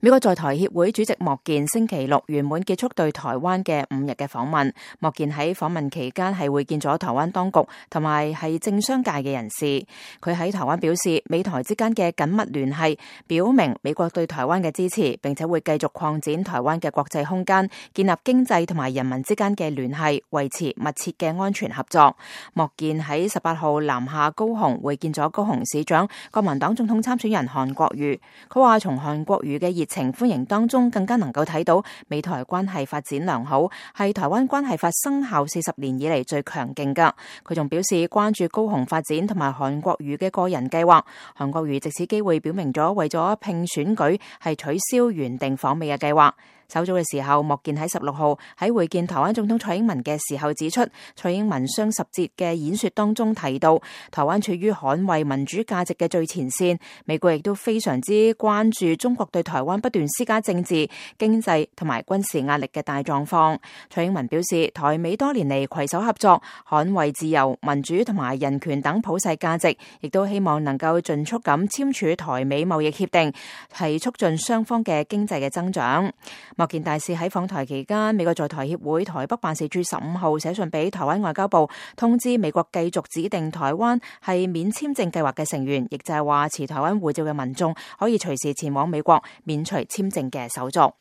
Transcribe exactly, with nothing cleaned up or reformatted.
美國在台協會主席莫健星期六圓滿結束對台灣嘅五日嘅訪問。莫健喺訪問期間係會見咗台灣當局同埋係政商界嘅人士。佢喺台灣表示，美台之間嘅緊密聯繫表明美國對台灣嘅支持，並且會繼續擴展台灣嘅國際空間，建立經濟同埋人民之間嘅聯繫，維持密切嘅安全合作。莫健喺十八號南下高雄會見咗高雄市長、國民黨總統參選人韓國瑜。佢話從韓國瑜嘅熱情歡迎當中，更加能夠睇到美台關係發展良好，係台灣關係法生效四十年以嚟最強勁噶。佢仲表示關注高雄發展同埋韓國瑜嘅個人計劃。韓國瑜藉此機會表明咗為咗拼選舉係取消原定訪美嘅計劃。稍早嘅時候，莫健喺十六號喺會見台灣總統蔡英文嘅時候指出，蔡英文雙十節嘅演說當中提到，台灣處於捍衛民主價值嘅最前線，美國亦都非常之關注中國對台灣不斷施加政治、經濟同埋軍事壓力嘅大狀況。蔡英文表示，台美多年嚟攜手合作，捍衛自由、民主同埋人權等普世價值，亦都希望能夠盡速咁簽署台美貿易協定，係促進雙方嘅經濟嘅增長。莫健大使喺訪台期間，美國在台協會台北辦事處十五號寫信俾台灣外交部，通知美國繼續指定台灣係免簽證計劃嘅成員，亦就係話持台灣護照嘅民眾可以隨時前往美國免除簽證嘅手續。